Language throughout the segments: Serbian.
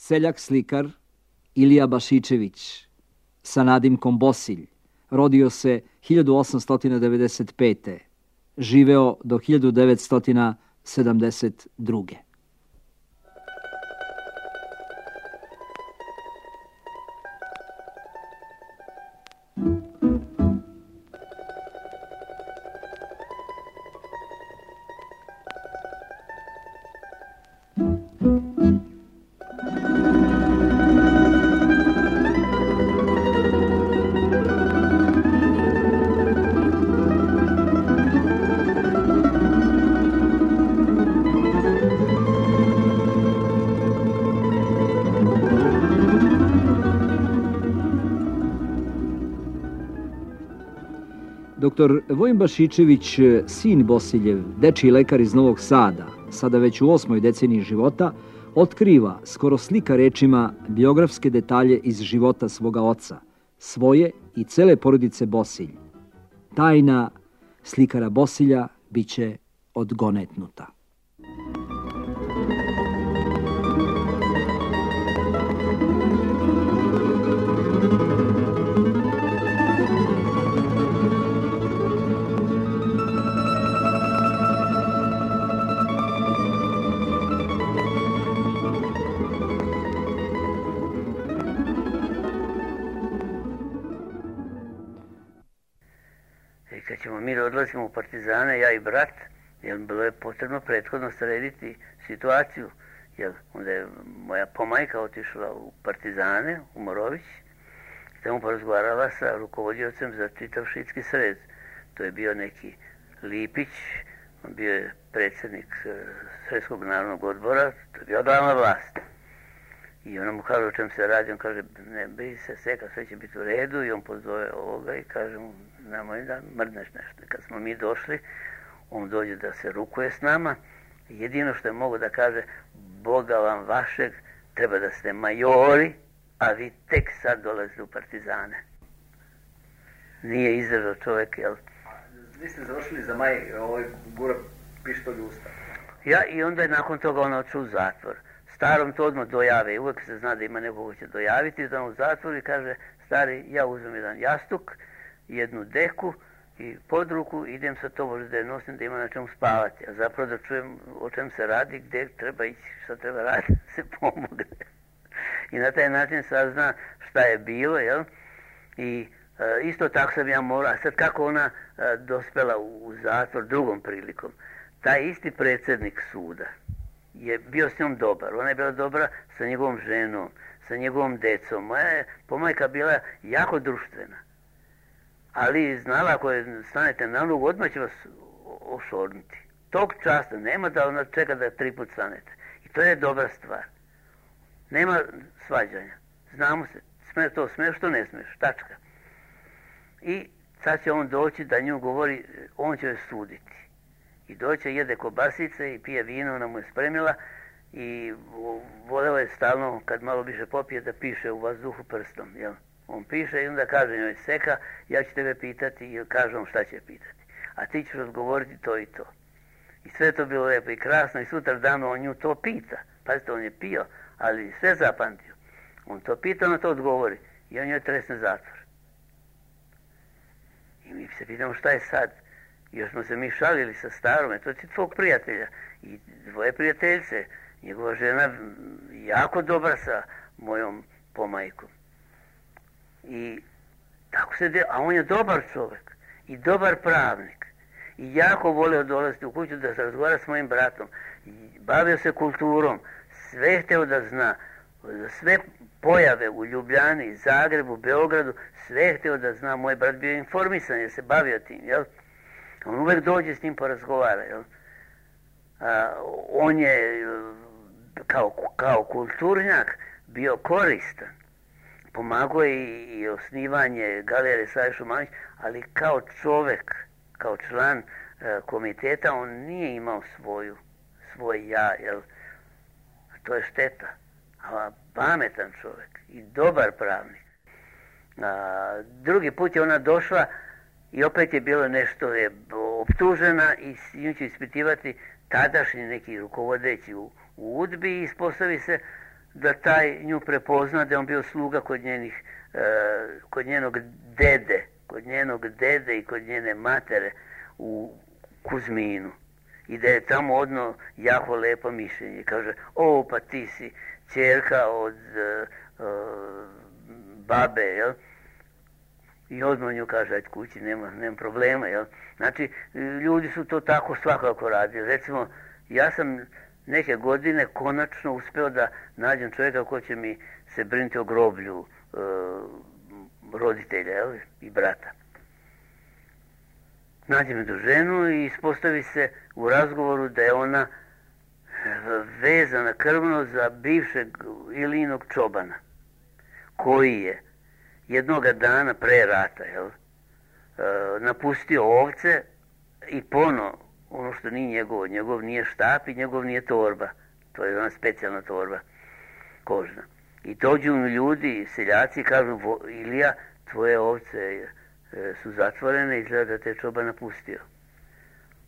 Seljak slikar Ilija Bašičević sa nadimkom Bosilj rodio se 1895. Živeo do 1972. Dr. Vojin Bašičević, sin Bosiljev, dečiji lekar iz Novog Sada, sada već u 8. deceniji života, otkriva, skoro slika rečima, biografske detalje iz života svoga oca, svoje i cele porodice Bosilj. Tajna slikara Bosilja biće odgonetnuta. Kad ćemo mi da odlazimo u partizane, ja i brat, jer bilo je potrebno prethodno srediti situaciju, jer onda je moja pomajka otišla u partizane, u Morović, i tamo porazgovarala sa rukovodiocem za čitav šidski sred. To je bio neki Lipić, on bio je predsjednik Sredskog narodnog odbora, to je bio glavna vlast. I ona mu kaže o čem se radi, on kaže ne bi se Seka, sve će biti u redu, i on pozove ovoga i kaže mu nemoj da mrdneš nešto. Kad smo mi došli, on dođe da se rukuje s nama, jedino što je mogo da kaže Boga vam vašeg, treba da ste majori, a vi tek sad dolazite u partizane. Nije izdržao čovjek, jel? Vi ste završili za maj, gura pištolj u usta. Ja, i onda je nakon toga on otišao u zatvor. Starom to odmah dojave, uvijek se zna da ima nekoga će dojaviti, da on u zatvoru i kaže, stari, ja uzmem jedan jastuk, jednu deku i pod ruku, idem sa to možda je nosim da ima na čemu spavati, a zapravo da čujem o čem se radi, gdje treba ići, šta treba raditi, da se pomogne. I na taj način sazna šta je bilo, jel? I isto tako sam ja morao, a sad kako ona dospela u zatvor drugom prilikom, taj isti predsjednik suda je bio s njom dobar, ona je bila dobra sa njegovom ženom, sa njegovom decom, moja je pomajka bila jako društvena. Ali znala, ako stanete na nogu, odmah će vas ošornuti. Tog časta nema da ona čeka da 3 put stanete. I to je dobra stvar. Nema svađanja. Znamo se, smiješ, što ne smiješ, tačka. I sad će on doći da nju govori, on će joj suditi. I doće, jede kobasice i pije vino, ona mu je spremila i voleo je stalno, kad malo više popije, da piše u vazduhu prstom, jel? On piše i onda kaže njoj Seka, ja ću tebe pitati i kaže on šta će pitati. A ti ćeš odgovoriti to i to. I sve to bilo lijepo i krasno i sutra dano on nju to pita. Pazite, on je pio, ali sve zapamtio. On to pita, ona to odgovori i on joj tresne zatvor. I mi se pitamo šta je sad. Još smo se mi šalili sa starome, to je tvog prijatelja i dvoje prijateljce. Njegova žena jako dobra sa mojom pomajkom. I tako se a on je dobar čovjek i dobar pravnik i jako voleo dolaziti u kuću da se razgovara s mojim bratom. I bavio se kulturom, sve htio da zna, sve pojave u Ljubljani, Zagrebu, Beogradu, sve htio da zna. Moj brat bio informisan jer se bavio tim, jel? On uvijek dođe s njim porazgovara, jel? On je kao kulturnjak bio koristan. Pomagao je i osnivanje galerije Save Šumanović, ali kao čovjek, kao član komiteta, on nije imao svoj ja, jel? To je šteta. A pametan čovjek i dobar pravnik. Drugi put je ona došla i opet je bilo nešto, je optužena i s njim će ispitivati tadašnji neki rukovodeći u UDBI i ispostavi se da taj nju prepozna, da je on bio sluga kod njenog dede i kod njene matere u Kuzminu. I da je tamo odno jako lepo mišljenje. Kaže, pa ti si ćerka od babe, jel? I odmah nju kaže, ajde kući, nema problema, jel? Znači, ljudi su to tako svakako radili. Recimo, ja sam neke godine konačno uspeo da nađem čovjeka ko će mi se brinuti o groblju roditelja, jel? I brata. Nađem jednu ženu i ispostavi se u razgovoru da je ona vezana krvno za bivšeg Ilinog čobana, koji je jednoga dana pre rata, jel, napustio ovce i ono što nije njegov nije štap i njegov nije torba, to je ona specijalna torba kožna. I dođu mu ljudi, seljaci, i kažu, Ilija, tvoje ovce su zatvorene, izgleda da te je čoban napustio.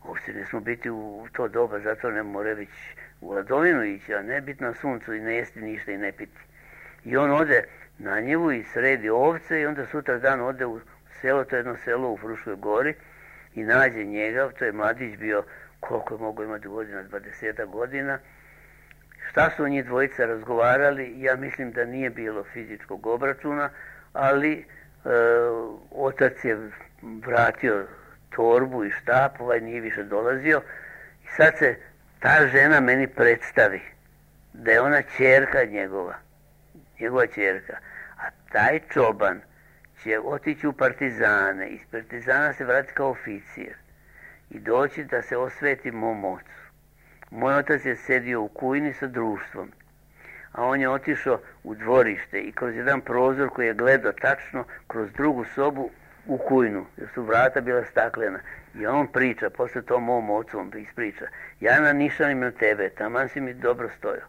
Ovce ne smo biti u to doba, zato ne more već u Ladovinu ići, a ne biti na suncu i ne jesti ništa i ne piti. I on ode na njivu i sredi ovce i onda sutra dan ode u selo, to je jedno selo u Fruškoj gori, i nađe njega, to je mladić bio, koliko je mogao imati godina, 20 godina. Šta su njih dvojica razgovarali, ja mislim da nije bilo fizičkog obračuna, ali otac je vratio torbu i štap, ovaj nije više dolazio i sad se ta žena meni predstavi da je ona ćerka njegova ćerka, a taj čoban će otići u partizane, iz partizana se vrati kao oficir i doći da se osveti mom ocu. Moj otac je sedio u kujni sa društvom, a on je otišao u dvorište i kroz jedan prozor koji je gledao tačno kroz drugu sobu u kujnu, jer su vrata bila staklena. I on priča, posle to mom ocu on ispriča, ja nanišanim na tebe, taman si mi dobro stojao.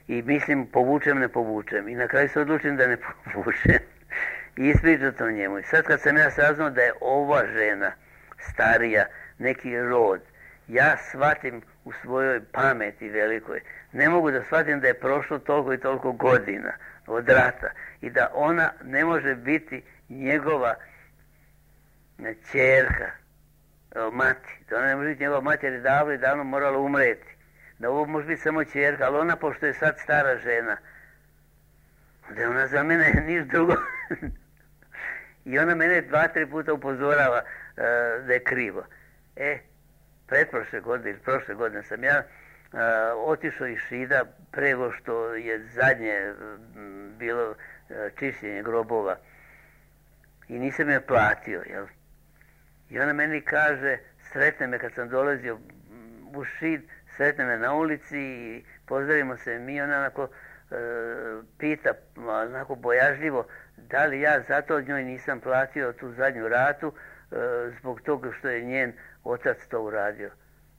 I mislim, ne povučem. I na kraju se odlučim da ne povučem. I ispriča to njemu. I sad kad sam ja saznao da je ova žena starija, neki rod, ja shvatim u svojoj pameti velikoj, ne mogu da shvatim da je prošlo toliko i toliko godina od rata i da ona ne može biti njegova ćerka, mati, da ona ne može biti njegova mati jer je davno morala umreti, da ovo može biti samo ćerka, ali ona pošto je sad stara žena, da je ona za mene niš drugo. I ona mene 2-3 puta upozorava da je krivo. Pretprošle godine ili prošle godine sam ja otišao iz Šida prego što je zadnje bilo čišćenje grobova i nisam je platio, jel? I ona meni kaže, sretne me kad sam dolazio u Šid, sretne me na ulici i pozdravimo se mi, ona onako pita, onako bojažljivo, da li ja zato njoj nisam platio tu zadnju ratu zbog toga što je njen otac to uradio.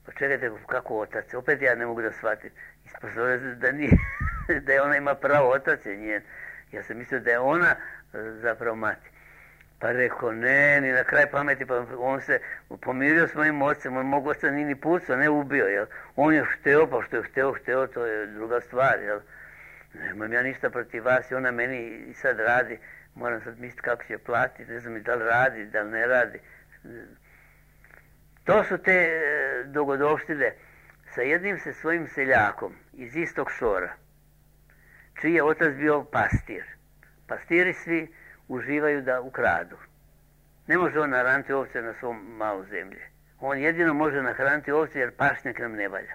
Pa čekajte, kako otac? Opet ja ne mogu da shvatim. Ispostavlja da nije, da je ona ima pravo, otac je njen. Ja sam mislio da je ona zapravo mati. Pa rekao, ne, ni na kraj pameti, pa on se pomirio s mojim ocem, mog oca nije ni pucao, ne ubio, jel? On je hteo, pa što je hteo, to je druga stvar, jel? Nemam ja ništa protiv vas i ona meni i sad radi, moram sad misliti kako će platiti, ne znam da li radi, da li ne radi. To su te dogodovštine sa jednim se svojim seljakom iz istog šora, čiji je otac bio pastir. Pastiri svi uživaju da ukradu. Ne može on nahraniti ovce na svom malo zemlje. On jedino može nahraniti ovce jer pašnjak nam ne valja.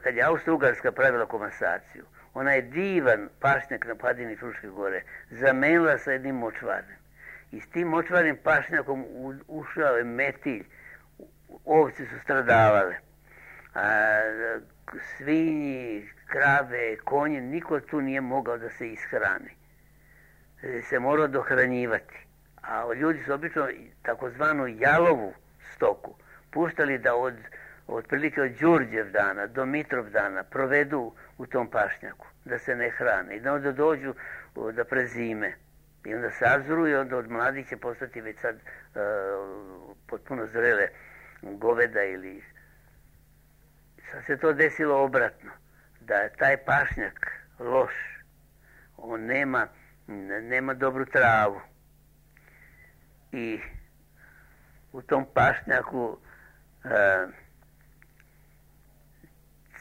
Kad je Austro-Ugarska pravila komasaciju, ona je divan pašnjak na padini Fruške gore zamenila sa jednim močvarnim. I s tim močvarnim pašnjakom ušao je metilj. Ovce su stradavale. Svinji, krave, konje, niko tu nije mogao da se ishrani. Se morao dohranjivati. A ljudi su obično takozvanu jalovu stoku puštali da otprilike od Đurđevdana do Mitrovdana provedu u tom pašnjaku, da se ne hrane i da onda dođu da prezime. I onda sazru i onda od mladih će postati već sad potpuno zrele goveda ili... Sad se to desilo obratno. da je taj pašnjak loš. On nema dobru travu. I u tom pašnjaku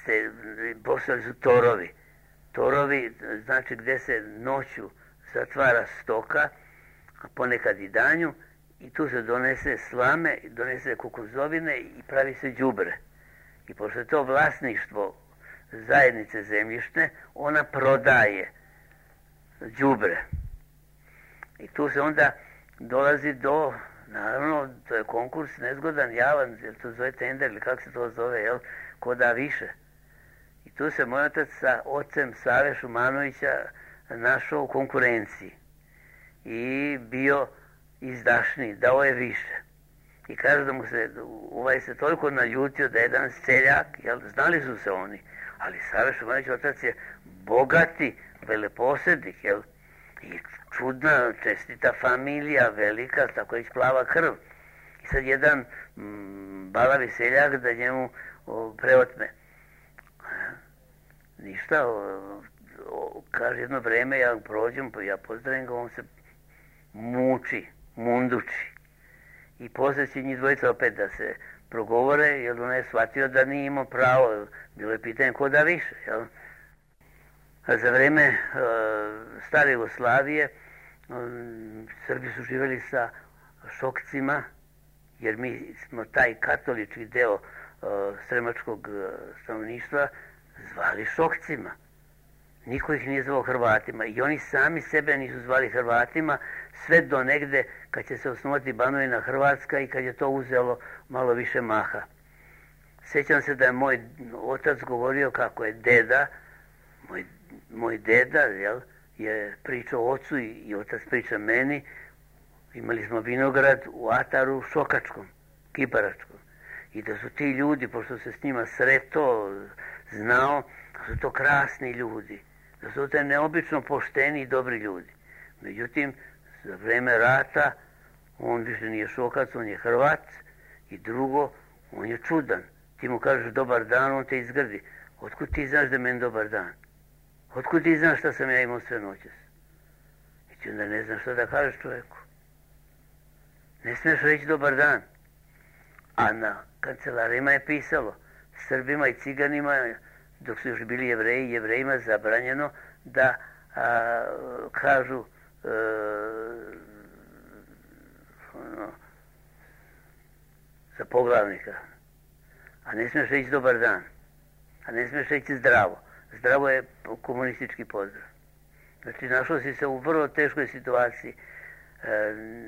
se postavili su torovi. Torovi znači gdje se noću zatvara stoka, a ponekad i danju, i tu se donese slame, donese kukuruzovine i pravi se đubre. I pošto je to vlasništvo zajednice zemljišne, ona prodaje đubre. I tu se onda dolazi do, naravno, to je konkurs nezgodan, javan, jer to zove tender ili kako se to zove, jel, ko da više. I tu se moj otac sa ocem Save Šumanovića našao u konkurenciji i bio izdašniji, dao je više. I kaže da mu se toliko naljutio da je jedan seljak, jel, znali su se oni, ali Save Šumanović otac je bogati veleposjednik, jel, i čudna, čestita familija, velika, tako je plava krv. I sad jedan balavi seljak da njemu preotme. Ništa, kaže jedno vreme, ja prođem, ja pozdravim ga, on se muči, munduči. I poslije će njih dvojica opet da se progovore, jer on je shvatio da nije imao pravo, bilo je pitanje ko da više, jel? A za vreme stare Jugoslavije Srbi su živjeli sa Šokcima, jer mi smo taj katolički deo sremačkog stanovništva zvali Šokcima. Niko ih nije zvao Hrvatima i oni sami sebe nisu zvali Hrvatima sve do negde kad će se osnovati Banovina Hrvatska i kad je to uzelo malo više maha. Sjećam se da je moj otac govorio kako je deda, moj deda, jel, je pričao ocu i otac priča meni. Imali smo vinograd u ataru Šokačkom, Kiparačkom. I da su ti ljudi, pošto se s njima sreto, znao, da su to krasni ljudi. Da su to neobično pošteni i dobri ljudi. Međutim, za vreme rata, on više nije Šokac, on je Hrvat. I drugo, on je čudan. Ti mu kažeš dobar dan, on te izgrdi. Otkud ti znaš da je meni dobar dan? Otkud ti znaš šta sam ja imao sve noćas? I ti onda ne znaš šta da kažeš čovjeku. Ne smiješ reći dobar dan. A na kancelarima je pisalo Srbima i Ciganima, dok su još bili Jevreji, Jevrejima zabranjeno da kažu za poglavnika. A ne smiješ reći dobar dan. A ne smiješ reći zdravo. Zdravo je komunistički pozdrav. Znači, našao si se u vrlo teškoj situaciji.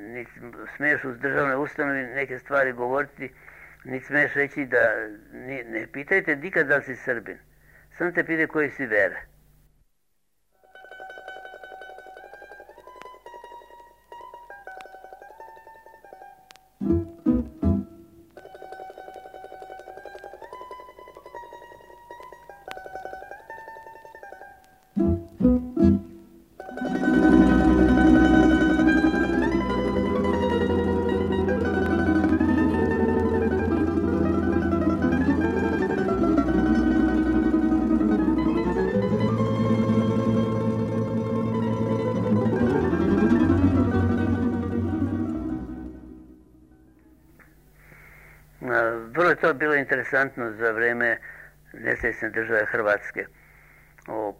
Niti smiješ u državnoj ustanovi neke stvari govoriti, niti smiješ reći da... Ne pitajte nikad da li si Srbin. Samo te pite koji si vere. Vrlo je to bilo interesantno za vreme nezavisne države Hrvatske.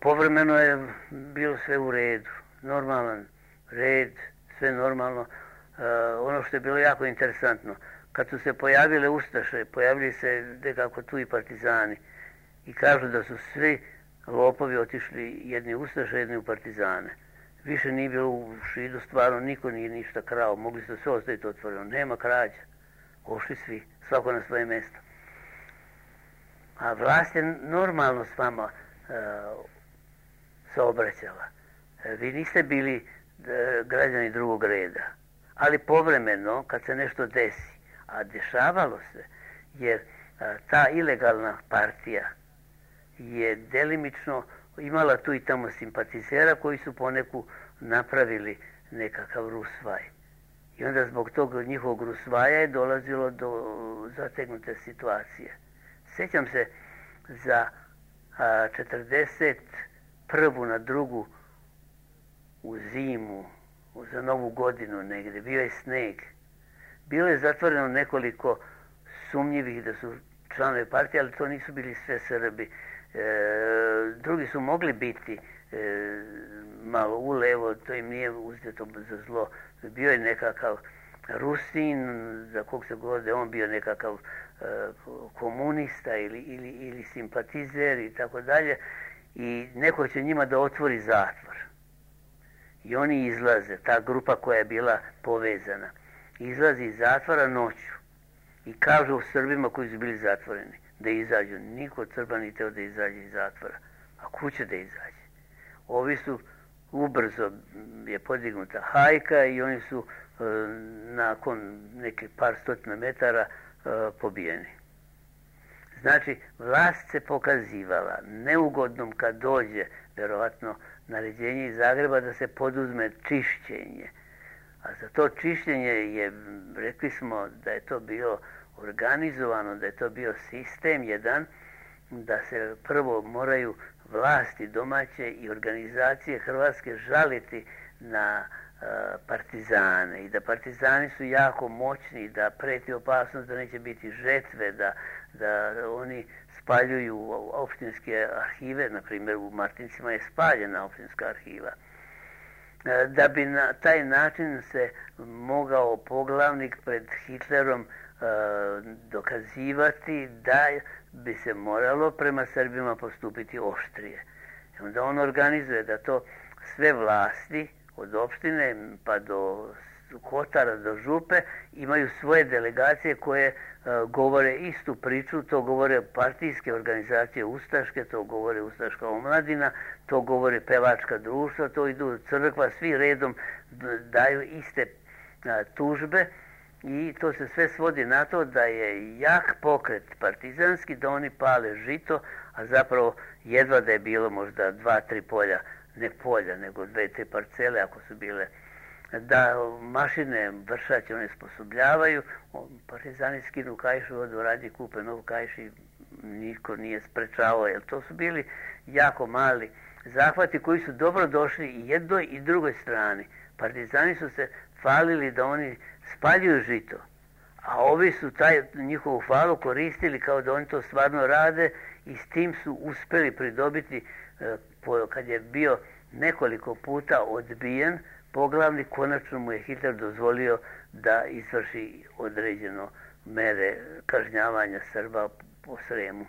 Povremeno je bilo sve u redu, normalan red, sve normalno. Ono što je bilo jako interesantno, kad su se pojavile ustaše, pojavili se nekako tu i partizani i kažu da su svi lopovi otišli jedni u ustaše, jedni u partizane. Više nije bilo u Šidu, stvarno niko nije ništa krao, mogli su sve ostaviti otvoreno, nema krađa. Ošli svi, svako na svoje mjesto. A vlast je normalno s vama saobraćala. Vi niste bili građani drugog reda. Ali povremeno, kad se nešto desi, a dešavalo se, jer ta ilegalna partija je delimično imala tu i tamo simpatizera koji su poneku napravili nekakav rusvaj. I onda zbog tog njihovog rusvaja je dolazilo do zategnute situacije. Sjećam se za a 41. na 2. u zimu, za Novu godinu negdje, bio je sneg. Bilo je zatvoreno nekoliko sumnjivih da su članovi partije, ali to nisu bili sve Srbi. Drugi su mogli biti malo ulevo, to im nije uzeto za zlo. Bio je nekakav Rusin, za kog se govori da je on bio nekakav komunista ili simpatizer i tako dalje. I neko će njima da otvori zatvor. I oni izlaze, ta grupa koja je bila povezana, izlazi iz zatvora noću i kažu u Srbima koji su bili zatvoreni da izađu. Niko od Srba nije teo da izađe iz zatvora. A kuće da izađe? Ovi su, ubrzo je podignuta hajka i oni su nakon nekih par stotina metara pobijeni. Znači, vlast se pokazivala neugodnom kad dođe, verovatno, naređenje iz Zagreba da se poduzme čišćenje. A za to čišćenje je, rekli smo da je to bio organizovano, da je to bio sistem jedan, da se prvo moraju vlasti domaće i organizacije hrvatske žaliti na partizane i da partizani su jako moćni, da preti opasnost da neće biti žetve, da oni spaljuju opštinske arhive, na primjer u Martincima je spaljena opštinska arhiva. Da bi na taj način se mogao poglavnik pred Hitlerom dokazivati da bi se moralo prema Srbima postupiti oštrije. Onda on organizuje da to sve vlasti, od opštine pa do Kotara, do Župe, imaju svoje delegacije koje govore istu priču, to govore partijske organizacije ustaške, to govore ustaška omladina, to govore pevačka društva, to idu crkva, svi redom daju iste tužbe i to se sve svodi na to da je jak pokret partizanski, da oni pale žito, a zapravo jedva da je bilo možda 2-3 polja, ne polja, nego 2-3 parcele ako su bile, da mašine vršače one sposobljavaju, partizani skinu kaišu, odu radi kupe novu kaiš i niko nije sprečavao, jer to su bili jako mali zahvati koji su dobro došli i jednoj i drugoj strani. Partizani su se falili da oni spaljuju žito, a ovi su taj njihovu falu koristili kao da oni to stvarno rade i s tim su uspeli pridobiti, kad je bio nekoliko puta odbijen, poglavnik, konačno mu je Hitler dozvolio da izvrši određeno mere kažnjavanja Srba po Sremu.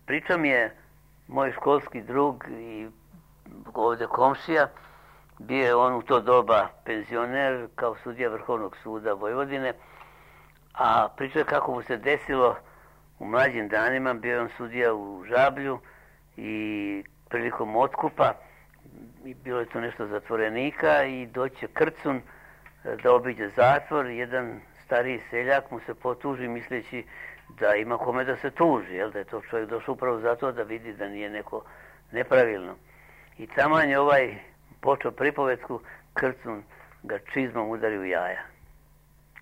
Pričao mi je moj školski drug i ovdje komšija, bio je on u to doba penzioner kao sudija Vrhovnog suda Vojvodine, a pričao kako mu se desilo u mlađim danima, bio je on sudija u Žablju i prilikom otkupa, i bilo je to nešto zatvorenika i doće Krcun da obiđe zatvor, jedan stariji seljak mu se potuži misleći da ima kome da se tuži, jel, da je to čovjek došao upravo zato da vidi da nije neko nepravilno. I taman je ovaj počeo pripovetku, Krcun ga čizmom udari u jaja.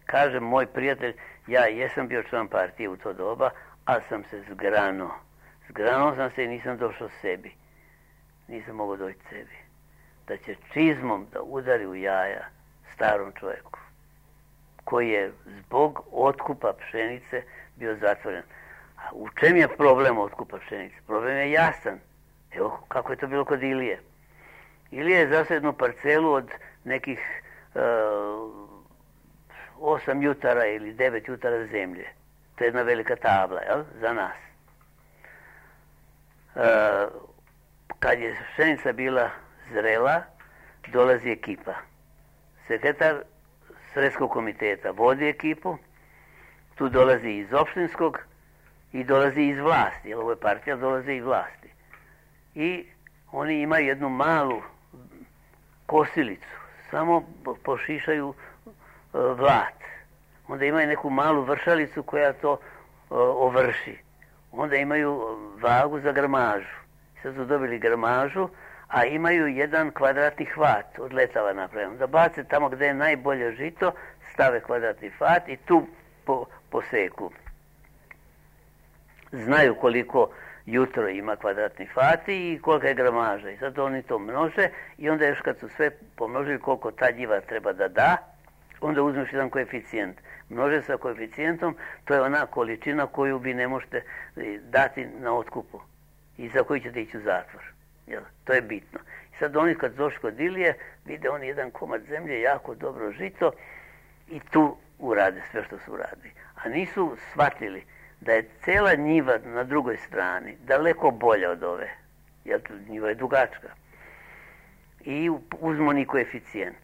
Kaže moj prijatelj, ja jesam bio član partije u to doba, ali sam se zgranuo. Zgranuo sam se i nisam došao sebi. Nisam mogao doći sebi. Da će čizmom da udari u jaja starom čovjeku, koji je zbog otkupa pšenice bio zatvoren. A u čem je problem otkupa pšenice? Problem je jasan. Evo kako je to bilo kod Ilije. Ilija je zasao jednu parcelu od nekih 8 jutara ili 9 jutara zemlje. To je jedna velika tabla, jel? Za nas. Kad je pšenica bila zrela, dolazi ekipa. Sekretar Sredskog komiteta vodi ekipu, tu dolazi iz opštinskog i dolazi iz vlasti, jer ovo je partija, dolazi iz vlasti. I oni imaju jednu malu kosilicu, samo pošišaju vlat. Onda imaju neku malu vršalicu koja to ovrši. onda imaju vagu za gramažu. Sad su dobili gramažu, a imaju jedan kvadratni hvat od letava napravljeno. Da bace tamo gdje je najbolje žito, stave kvadratni hvat i tu poseku. Znaju koliko jutro ima kvadratni hvati i kolika je gramaža. I sad oni to množe i onda još kad su sve pomnožili koliko ta njiva treba da da, onda uzmeš jedan koeficijent. Množe sa koeficijentom, to je ona količina koju vi ne možete dati na otkupu i za koju ćete ići u zatvor. Jel? To je bitno. I sad oni kad došli kod Ilije, vide oni jedan komad zemlje, jako dobro žito i tu urade sve što su uradili. A nisu shvatili da je cela njiva na drugoj strani daleko bolja od ove. Jer njiva je dugačka. I uzmu ni koeficijent.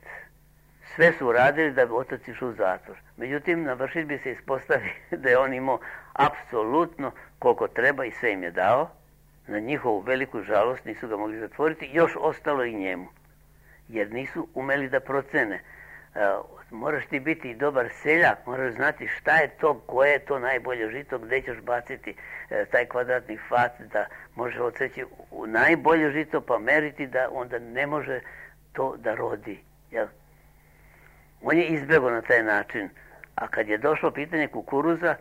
Sve su uradili da bi otac išao u zatvor. Međutim, na vršidbi se ispostavi da je on imao apsolutno koliko treba i sve im je dao. Na njihovu veliku žalost nisu ga mogli zatvoriti, još ostalo i njemu. Jer nisu umeli da procene. Moraš ti biti dobar seljak, moraš znati šta je to, koje je to najbolje žito, gdje ćeš baciti taj kvadratni hvat, da može odseći u najbolje žito, pa meriti da onda ne može to da rodi. Jel? On je izbjegao na taj način. A kad je došlo pitanje kukuruza,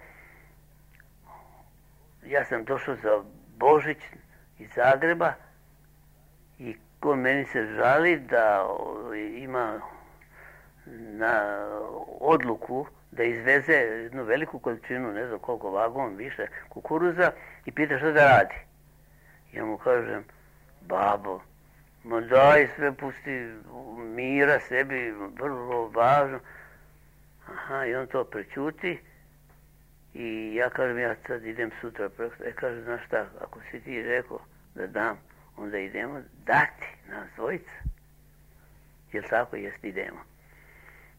ja sam došao za Božić iz Zagreba i on meni se žali da ima na odluku da izveze jednu veliku količinu, ne znam koliko vagon, više kukuruza i pita što da radi. Ja mu kažem, babo, ma daj sve, pusti mira sebi, vrlo važno. Aha, i on to prećuti i ja kažem, ja sad idem sutra. Kaže, znaš šta, ako si ti rekao da dam, onda idemo dati nas dvojica. Jel tako? Jest, idemo.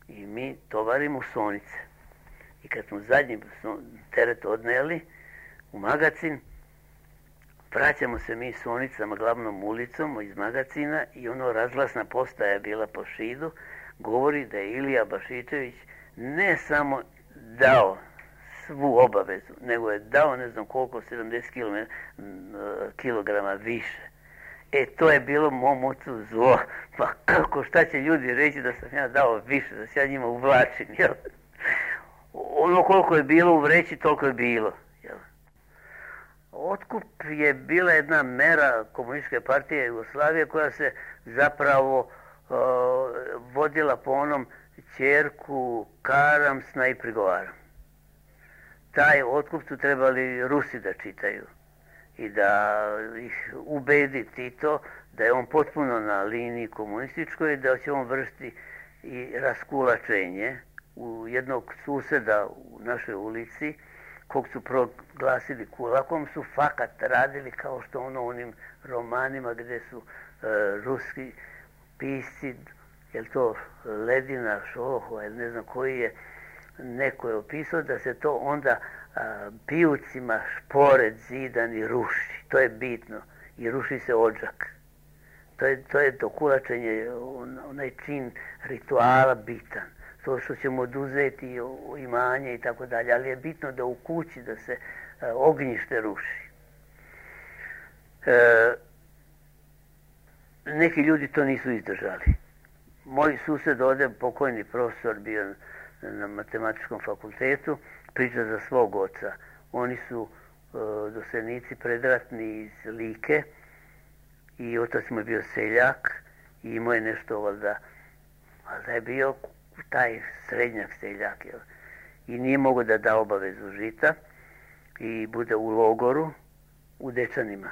I mi tovarimo sonice. I kad smo zadnji teret odneli u magacin, vraćamo se mi sonicama glavnom ulicom iz magacina i ono razglasna postaja bila po Šidu, govori da je Ilija Bašičević ne samo dao svu obavezu, nego je dao ne znam koliko, 70 kilograma više. To je bilo mom ocu zlo. Pa kako, šta će ljudi reći da sam ja dao više, da se ja njima uvlačim, jel? Ono koliko je bilo u vreći, toliko je bilo, jel? Otkup je bila jedna mera Komunističke partije Jugoslavije koja se zapravo vodila po onom ćerku karam, sna i prigovaram. Taj otkup su trebali Rusi da čitaju i da ih ubedi Tito da je on potpuno na liniji komunističkoj i da će on vršiti i raskulačenje u jednog suseda u našoj ulici, kog su proglasili kulakom, su fakat radili kao što ono u onim romanima gdje su ruski pisci, je to Ledina, Šohova ili ne znam koji je, neko je opisao da se to onda pijucima šporet zidani ruši. To je bitno. I ruši se odžak. To je to kulačenje, onaj čin rituala bitan. To što ćemo oduzeti imanje i tako dalje. Ali je bitno da u kući da se ognjište ruši. Neki ljudi to nisu izdržali. Moj sused ovdje, pokojni profesor, bio na matematičkom fakultetu, priča za svog oca. Oni su doseljenici predratni iz Like i otac mu je bio seljak i imao je nešto valjda je bio taj srednjak seljak, jel? I nije mogao da da obavezu žita i bude u logoru u Dečanima.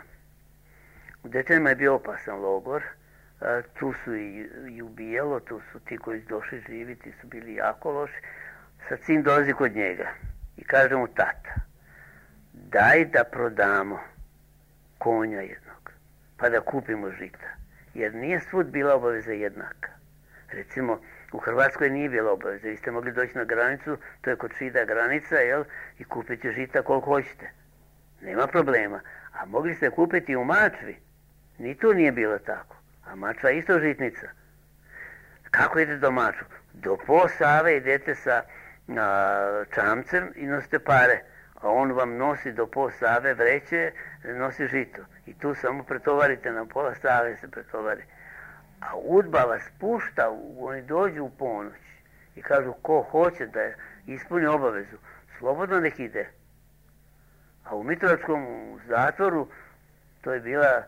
U Dečanima je bio opasan logor, tu su i ubijalo, tu su ti koji su došli živi, ti su bili jako loši. Sad sin dolazi kod njega i kaže mu, tata, daj da prodamo konja jednog, pa da kupimo žita. Jer nije svud bila obaveza jednaka. Recimo, u Hrvatskoj nije bila obaveza. Vi ste mogli doći na granicu, to je kod Šida granica, jel? I kupiti žita koliko hoćete. Nema problema. A mogli ste kupiti u Mačvi. Ni tu nije bilo tako. A Mačva je isto žitnica. Kako idete do Mačvu? Do po Save idete sa čamcem i nosite pare. a on vam nosi do pola Save vreće, nosi žito. I tu samo pretovarite, na pola Save se pretovari. A UDBA vas pušta, oni dođu u ponoć i kažu ko hoće da ispuni obavezu, slobodno nek ide. A u Mitrovačkom zatvoru, to je bila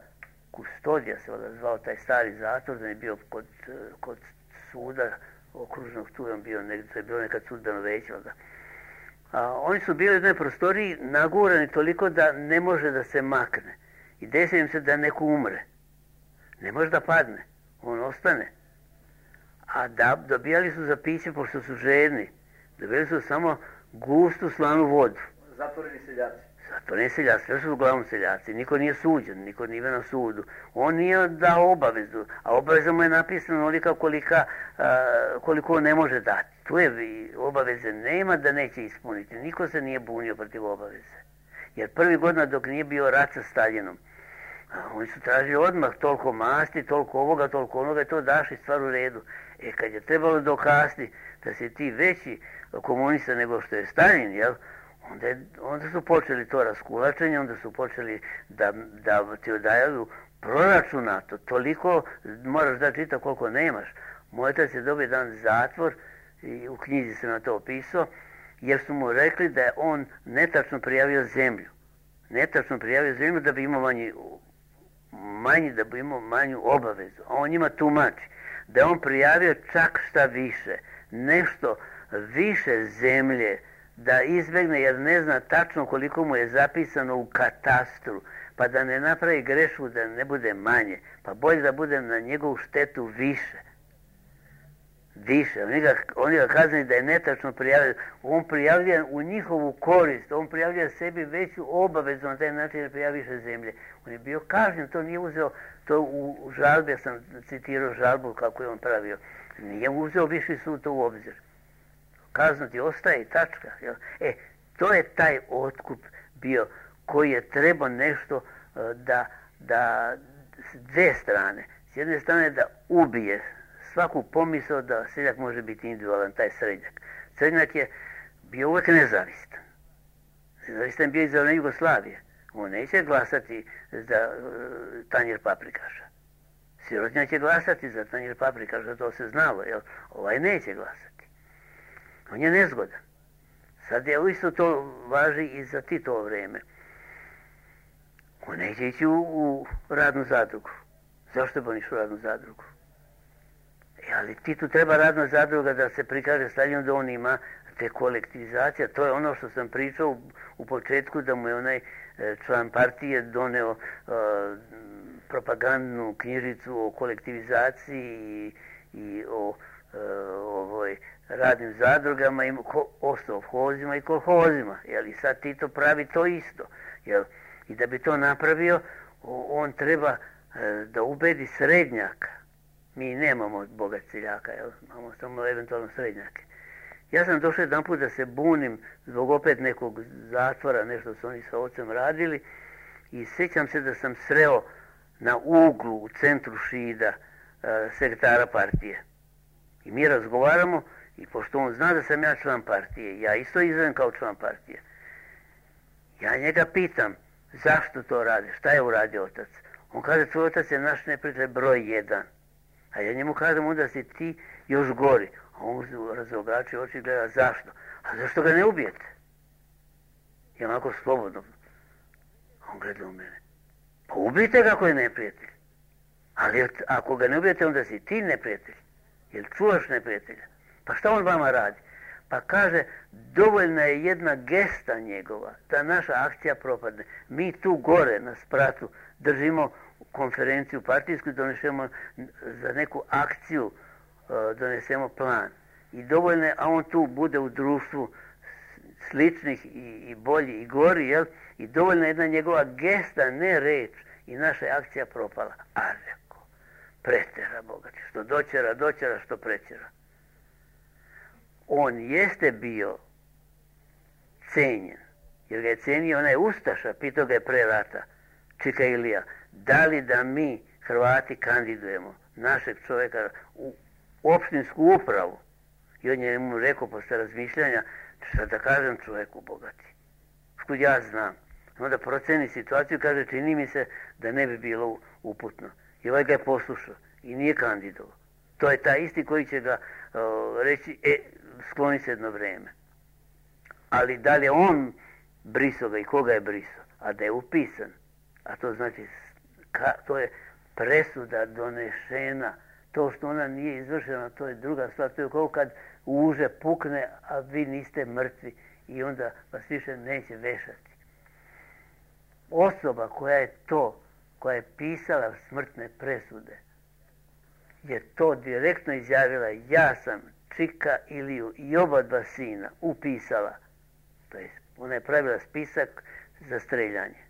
Kustodija, se zvao taj stari zatvor, da je bio kod suda okružnog, tu je bio negdje, to je bilo nekad sudbeno veće. Oni su bili u jednoj prostoriji nagurani toliko da ne može da se makne. I desi im se da neko umre. Ne može da padne. On ostane. A dobijali su za piće, pošto su žedni. Dobijali su samo gustu slanu vodu. Zatvoreni seljaci. Zatvoreni seljaci, sve su uglavnom seljaci. Niko nije suđen, niko nije na sudu. On nije dao obavezu, a obaveza mu je napisana onolika koliko ne može dati. Tu je obaveze nema da neće ispuniti. Niko se nije bunio protiv obaveze. Jer prvi godina dok nije bio rat sa Staljinom, oni su tražili odmah toliko masti, toliko ovoga, toliko onoga i to dašli stvar u redu. Kad je trebalo dokazati da si ti veći komunista nego što je Staljin, jel? Onda su počeli to raskulačenje, onda su počeli da ti odajaju proračunato. Toliko moraš da čita koliko nemaš. Moj otac je dobio jedan zatvor, i u knjizi se na to opisao, jer su mu rekli da je on netačno prijavio zemlju. Netačno prijavio zemlju da bi imao da bi imao manju obavezu. A on njima tumači da je on prijavio čak šta više, nešto više zemlje, da izbegne jer ne zna tačno koliko mu je zapisano u katastru, pa da ne napravi grešku, da ne bude manje, pa bolje da bude na njegovu štetu više. Više. Oni ga kaznili da je netačno prijavio. On prijavlja u njihovu korist, on prijavlja sebi veću obavezu na taj način da prijavlja više zemlje. On je bio kažnjen, to nije uzeo, to u žalbi, ja sam citirao žalbu kako je on pravio, nije uzeo viši sud to u obzir. Kazna ti ostaje i tačka. Jel? To je taj otkup bio koji je trebao nešto da s dve strane. S jedne strane da ubije svaku pomisao da seljak može biti individualan, taj srednjak. Srednjak je bio uvek nezavistan. Nezavistan bio i za Jugoslavije. On neće glasati za tanjir paprikaša. Sirotnjak će glasati za tanjir paprikaša, to se znalo, jel? Ovaj neće glasati. On je nezgodan. Sad je isto to važi i za Titovo vreme. On neće ići u radnu zadrugu. Zašto bi on išao u radnu zadrugu? Ali Titu treba radna zadruga da se prikaže Staljinu da on ima te kolektivizacije. To je ono što sam pričao u početku, da mu je onaj član partije doneo propagandnu knjižicu o kolektivizaciji i o ovoj radnim zadrugama, o sovhozima i kolhozima. I sad Tito pravi to isto. I da bi to napravio, on treba da ubedi srednjaka. Mi nemamo bogat seljaka, imamo samo eventualno srednjake. Ja sam došao jedan put da se bunim zbog opet nekog zatvora, nešto su oni sa ocem radili, i sjećam se da sam sreo na uglu u centru Šida sekretara partije. I mi razgovaramo, i pošto on zna da sam ja član partije, ja isto izvedem kao član partije. Ja njega pitam, zašto to radi, šta je uradio otac? On kaže, tvoj otac je naš neprijatelj broj 1. A ja njemu kažem, onda si ti još gori. A on razobračio oči i gleda, zašto? A zašto ga ne ubijete? I onako slobodno. On gleda u mene. Pa ubijte ga ako je neprijatelj. Ali ako ga ne ubijete, onda si ti neprijatelj. Jer čuvaš neprijatelja. Pa šta on vama radi? Pa kaže, dovoljna je jedna gesta njegova da naša akcija propadne. Mi tu gore na spratu držimo konferenciju partijsku i donesemo za neku akciju, donesemo plan. I dovoljno je, a on tu bude u društvu sličnih i bolji i gori, jel? I dovoljno je jedna njegova gesta, ne reč, i naša je akcija propala. A reko, pretera bogati, što doćera, što prećera. On jeste bio cenjen, jer ga je cenio onaj Ustaša, pitao ga je pre rata, Čika Ilija, da li da mi Hrvati kandidujemo našeg čovjeka u opštinsku upravu? I on je mu rekao posle razmišljanja, šta da kažem čovjeku bogati, otkud ja znam. Onda proceni situaciju, kaže, čini mi se da ne bi bilo uputno. I ovaj ga je poslušao i nije kandidovao. To je taj isti koji će ga reći, skloni se jedno vreme. Ali da li je on brisao ga i koga je brisao, a da je upisan, a to znači, to je presuda donešena. To što ona nije izvršena, to je druga stvar. To je kao kad uže pukne, a vi niste mrtvi i onda vas više neće vešati. Osoba koja je pisala smrtne presude, je to direktno izjavila, ja sam Čika Iliju i oba dva sina upisala. To je, ona je pravila spisak za streljanje.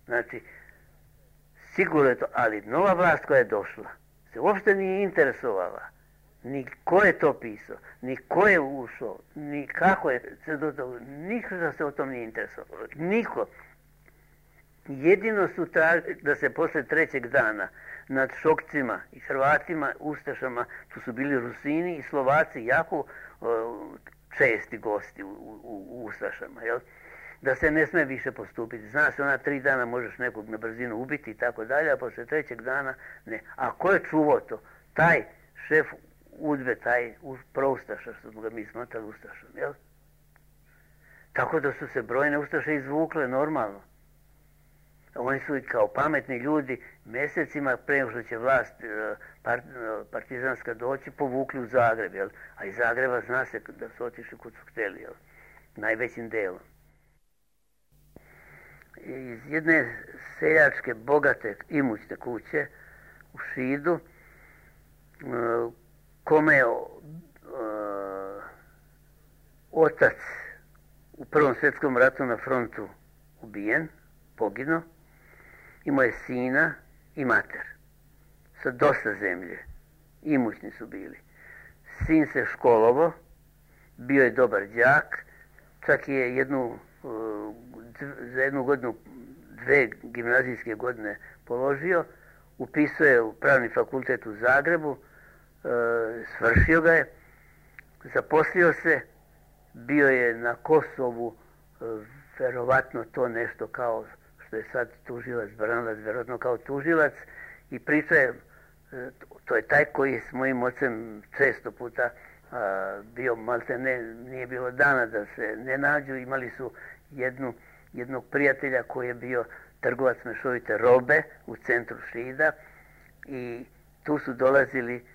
Znači, sigurno je to, ali nova vlast koja je došla se uopšte nije interesovala ni ko je to pisao, ni ko je ušao, ni kako je se do toga, niko se o tom nije interesovalo. Niko. Jedino su tražili da se posle trećeg dana nad Šokcima i Hrvatima, Ustašama, tu su bili Rusini i Slovaci, jako česti gosti u Ustašama, jel? Da se ne sme više postupiti. Zna se, ona 3 dana možeš nekog na brzinu ubiti i tako dalje, a posle trećeg dana ne. A ko je čuvao to? Taj šef udbe, taj proustaša, što smo ga mi smatrali ustašom, jel? Tako da su se brojne ustaše izvukle normalno. Oni su i kao pametni ljudi mjesecima pre što će vlast partizanska doći povukli u Zagreb, jel? A iz Zagreba zna se da su otišli kud su htjeli, jel? Najvećim delom. Iz jedne seljačke, bogate, imućne kuće u Šidu, kome je otac u Prvom svjetskom ratu na frontu ubijen, poginuo, imao je sina i mater sa dosta zemlje, imućni su bili. Sin se školovo, bio je dobar đak, čak je za jednu godinu, 2 gimnazijske godine položio, upisao je u Pravni fakultet u Zagrebu, svršio ga je, zaposlio se, bio je na Kosovu, verovatno to nešto kao što je sad tužilac, Branilac, verovatno kao tužilac, i priča je, to je taj koji je s mojim ocem često puta bio, malte ne, nije bilo dana da se ne nađu, imali su jednog prijatelja koji je bio trgovac mešovite robe u centru Šida i tu su dolazili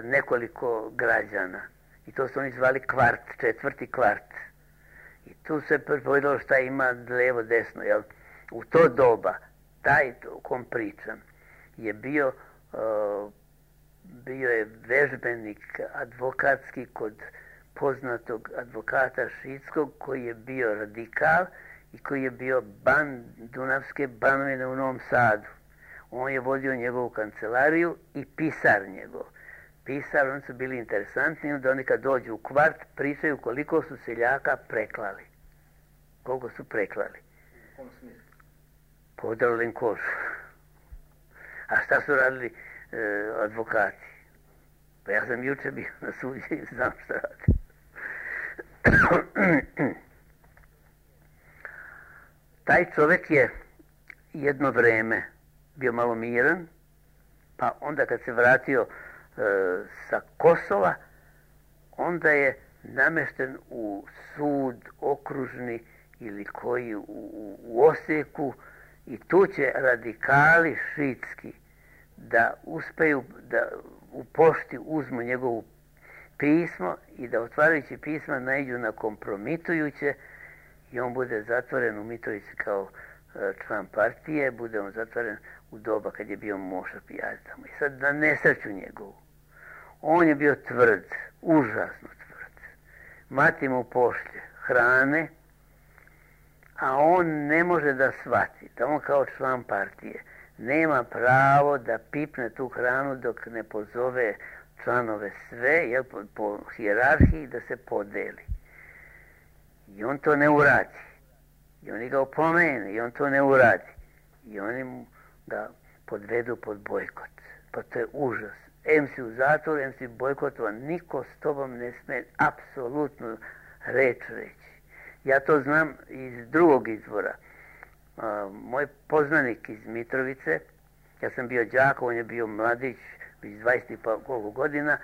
nekoliko građana i to su oni zvali kvart, 4. kvart. I tu se povedalo šta ima levo, desno, jel? U to doba, taj o kom pričam, je bio je vežbenik advokatski kod poznatog advokata šidskog koji je bio radikal i koji je bio ban Dunavske banovine u Novom Sadu. On je vodio njegovu kancelariju i pisar njegov. Pisar, oni su bili interesantni, onda oni kad dođu u kvart pričaju koliko su seljaka preklali. Koliko su preklali. U kom smislu? Podrali im kožu. A šta su radili advokati? Pa ja sam juče bio na suđe i znam šta radi. Taj čovjek je jedno vreme bio malo miran, pa onda kad se vratio sa Kosova, onda je namješten u sud okružni ili koji u Osijeku i tu će radikali šidski da uspeju da u pošti uzmu njegovu pismo i da otvarajući pisma naiđu na kompromitujuće i on bude zatvoren u Mitrovici kao član partije, bude on zatvoren u doba kad je bio Moša Pijac tamo. I sad na nesreću njegovu. On je bio tvrd, užasno tvrd. Mati mu pošlje hrane, a on ne može da shvati da on kao član partije nema pravo da pipne tu hranu dok ne pozove članove sve, jel, po hijerarhiji da se podeli. I on to ne uradi. I oni ga opomene i on to ne uradi. I oni ga podvedu pod bojkot. Pa to je užas. Em si u zatvoru, em si bojkotovan. Niko s tobom ne sme apsolutno reč reći. Ja to znam iz drugog izvora. Moj poznanik iz Mitrovice, ja sam bio đak, on je bio mladić, iz 20 pa koliko godina,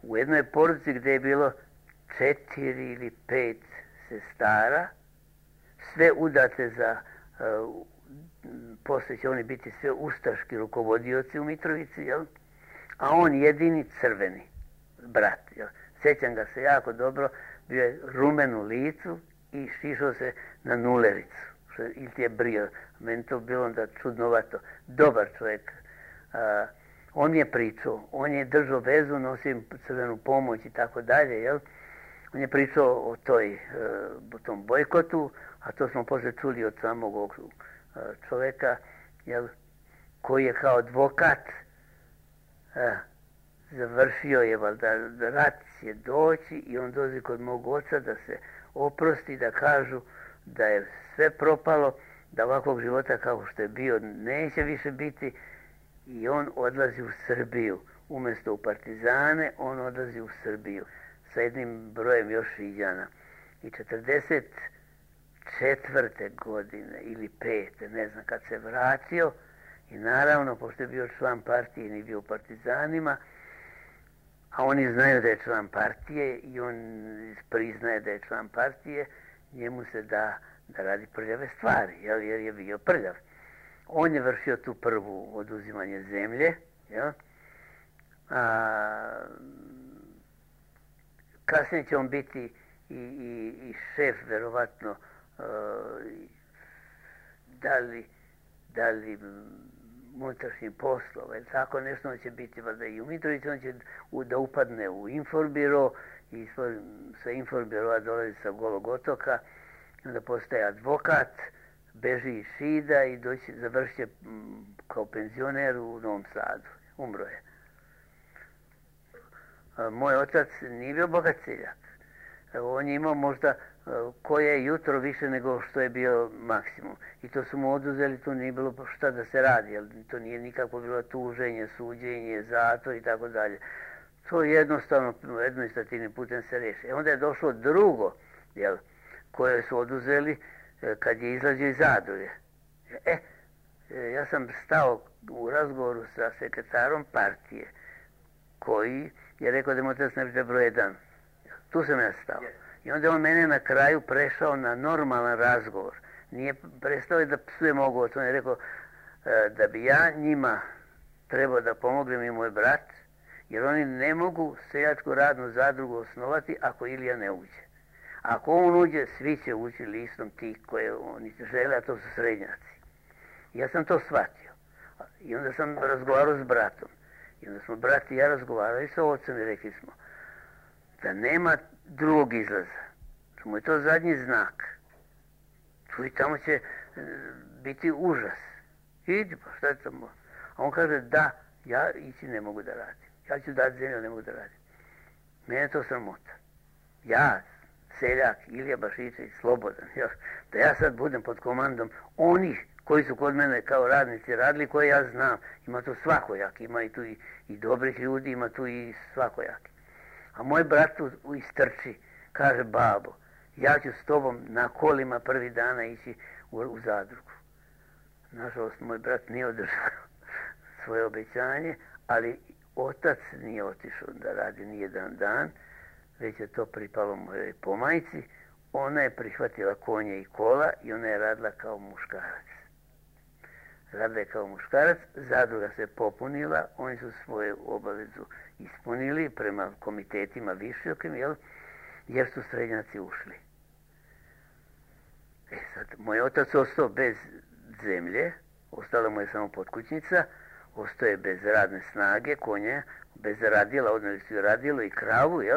u jednoj porodici gdje je bilo 4 ili 5 sestara, sve udate za, poslije će oni biti sve ustaški rukovodioci u Mitrovici, jel? A on jedini crveni brat, jel? Sjećam ga se jako dobro, bio je rumen u licu i šišao se na nulericu, ili ti je brio. Meni to bilo onda čudnovato. Dobar čovjek. On je pričao, on je držao vezu, nosio crvenu pomoć i tako dalje, jel? On je pričao o tom bojkotu, a to smo poslije čuli od samog ovog čovjeka, jel, koji je kao advokat završio je, valjda, rat će doći i on dođe kod mog oca da se oprosti, da kažu da je sve propalo, da ovakvog života kao što je bio neće više biti i on odlazi u Srbiju. Umjesto u partizane, on odlazi u Srbiju sa jednim brojem još Riđana. I 44. godine ili 5. ne znam kad se vratio i naravno, pošto je bio član partije i nije bio u partizanima, a oni znaju da je član partije i on priznaje da je član partije, njemu se da radi prljave stvari, jer je bio prljav. On je vršio tu prvu oduzimanje zemlje, jel? Kasnije će on biti i šef, verovatno, da li unutrašnjih poslova, ili tako nešto, on će biti valjda i u Mitrovici, on će da upadne u Inforbiro i sa Inforbirova dolazi sa Golog otoka, onda postaje advokat, beži iz Šida i završit će kao penzioner u Novom Sadu. Umro je. Moj otac nije bio bogat seljak. On je imao možda koje jutro više nego što je bio maksimum. I to su mu oduzeli, to nije bilo šta da se radi, jer to nije nikako bilo tuženje, suđenje, zatvor i tako dalje. To jednostavno administrativnim putem se riješi. Onda je došlo drugo, jel, koje su oduzeli kad je izlazio iz zadruge. Ja sam stao u razgovoru sa sekretarom partije, koji je rekao da mu otac ne bude broj 1. Tu sam ja stao. I onda on mene na kraju prešao na normalan razgovor. Nije prestao da psuje mog oca. On je rekao da bi ja njima trebao da pomognem i moj brat, jer oni ne mogu seljačku radnu zadrugu osnovati ako Ilija ne uđe. Ako on uđe, svi će ući listom tih koje oni žele, a to su srednjaci. Ja sam to shvatio. I onda sam razgovarao s bratom. I onda smo brat i ja razgovarali sa ocem i rekli smo da nema drugog izlaza. Mu je to zadnji znak. Tu i tamo će biti užas. Idi, pa šta je tamo? A on kaže, da, ja ići ne mogu da radim. Ja ću dati zemlju, ne mogu da radim. Mene je to sramota. Ja, seljak, Ilija Bašičević, slobodan, da ja sad budem pod komandom onih koji su kod mene kao radnici radili, koje ja znam. Ima tu svakojak, ima i tu i dobrih ljudi, ima tu i svakojaki. A moj brat tu istrči, kaže, babo, ja ću s tobom na kolima prvi dana ići u zadrugu. Nažalost, moj brat nije održao svoje obećanje, ali otac nije otišao da radi nijedan dan, već je to pripalo mojoj pomajci. Ona je prihvatila konje i kola i ona je radila kao muškarac. Radila je kao muškarac, zadruga se popunila, oni su svoju obavezu ispunili prema komitetima višokim, jer su srednjaci ušli. Sad, moj otac ostao bez zemlje, ostala mu je samo potkućnica, ostao je bez radne snage, konje, bez radila, odnosno su radilo i kravu, I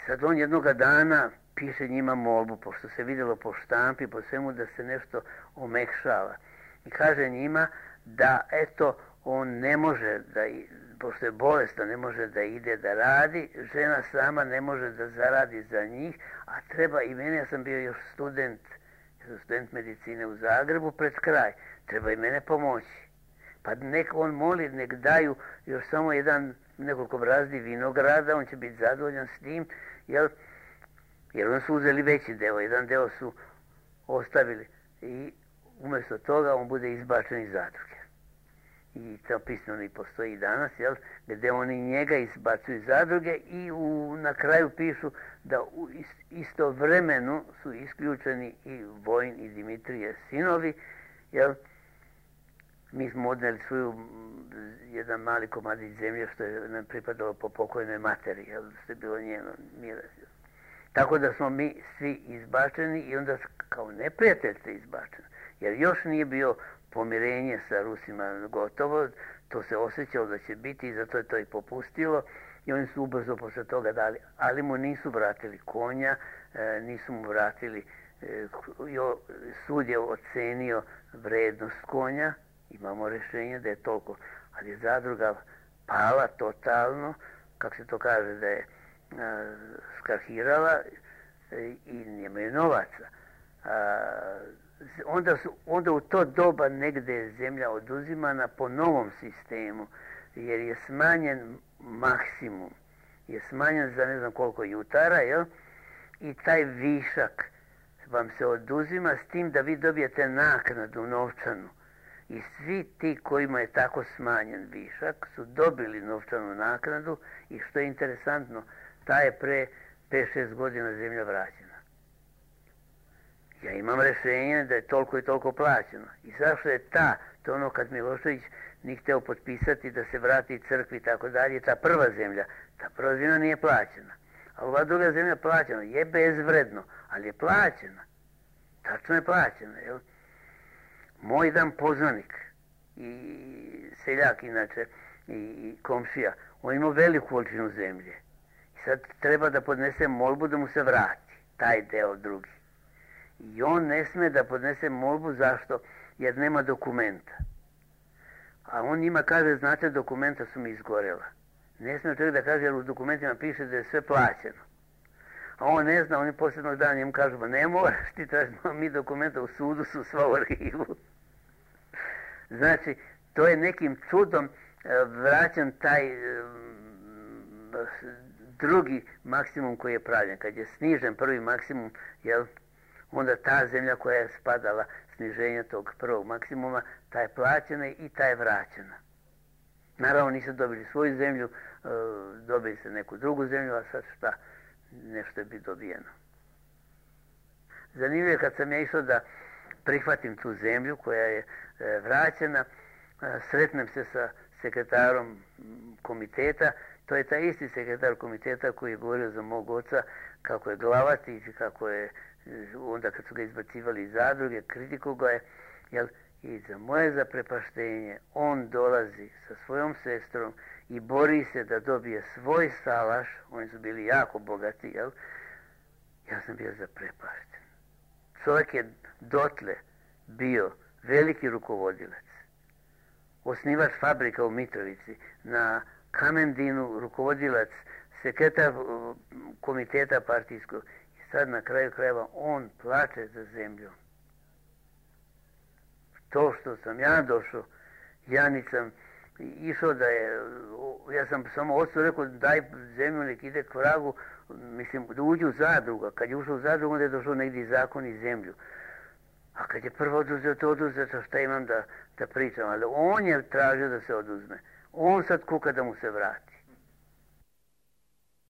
sad on jednoga dana piše njima molbu, pošto se vidjelo po štampi, po svemu da se nešto omekšava. I kaže njima da, eto, on ne može da, pošto je bolestan, ne može da ide da radi, žena sama ne može da zaradi za njih, a treba i mene, ja sam bio još student medicine u Zagrebu pred kraj, treba i mene pomoći. Pa nek on moli, nek daju još samo nekoliko brazdi vinograda, on će biti zadovoljan s tim, Jer oni su uzeli veći deo, jedan deo su ostavili i umjesto toga on bude izbačen iz zadruge. I to pismeno i postoji danas, jel, gdje oni njega izbacuju iz zadruge i na kraju pišu da istovremeno su isključeni i Vojin i Dimitrije sinovi, jel. Mi smo odneli svoju jedan mali komadić zemlje što je nam pripadalo po pokojnoj materi, jel, što je bilo njeno miras. Tako da smo mi svi izbačeni i onda kao neprijatelj ste izbačeni, jer još nije bio pomirenje sa Rusima gotovo, to se osjećalo da će biti i zato je to i popustilo i oni su ubrzo posle toga dali, ali mu nisu vratili konja, nisu mu vratili, sud je ocenio vrednost konja, imamo rješenje da je toliko, ali je zadruga pala totalno, kako se to kaže, da je skrahirala i nemaju novaca. Onda u to doba negdje je zemlja oduzimana po novom sistemu, jer je smanjen maksimum, je smanjen za ne znam koliko jutara, jel? I taj višak vam se oduzima s tim da vi dobijete naknadu novčanu. I svi ti kojima je tako smanjen višak su dobili novčanu naknadu i što je interesantno, ta je pre 5-6 godina zemlja vraćena. Ja imam rješenje da je toliko i toliko plaćeno. I zašto je to je ono kad Milošević nije hteo potpisati da se vrati crkvi i tako dalje, ta prva zemlja nije plaćena. A ova druga zemlja plaćena, je bezvredno, ali je plaćena. Tačno je plaćena, jel? Moj jedan poznanik i seljak inače i komšija, on ima veliku količinu zemlje. I sad treba da podnese molbu da mu se vrati, taj deo drugi. I on ne sme da podnese molbu, zašto? Jer nema dokumenta. A on njima kaže, znate, dokumenta su mi izgorela. Ne sme čovjek da kaže, jer u dokumentima piše da je sve plaćeno. A on ne zna, oni posljednog dana njemu kažu, ba ne moraš ti tražiti, mi dokumenta u sudu su sva u arhivu. Znači, to je nekim čudom vraćan taj drugi maksimum koji je pravljen. Kad je snižen prvi maksimum, jel, onda ta zemlja koja je spadala sniženja tog prvog maksimuma, ta je plaćena i ta je vraćena. Naravno nisu dobili svoju zemlju, dobili se neku drugu zemlju, a sad šta, nešto je bi dobijeno. Zanimljivo je kad sam ja išao da prihvatim tu zemlju koja je vraćena, sretnem se sa sekretarom komiteta, to je taj isti sekretar komiteta koji je govorio za mog oca kako je glavati, kako je onda kad su ga izbacivali iz zadruge, kritiku ga je, jel, i za moje zaprepaštenje on dolazi sa svojom sestrom i bori se da dobije svoj salaš, oni su bili jako bogati, jel, ja sam bio zaprepašten. Čovjek je dotle bio veliki rukovodilac, osnivač fabrika u Mitrovici, na Kamendinu rukovodilac, sekretar komiteta partijskog. I sad na kraju krajeva on plače za zemljom. To što sam ja došao, ja nisam išao da je, ja sam samo ocu rekao daj zemlju nek ide k vragu, mislim da uđe u zadruga. Kad je ušao u zadrugu onda je došao negdje zakon i zemlju. A kad je prvo oduzeto, šta imam da pričam, ali on je tražio da se oduzme. On sad kuka da mu se vrati.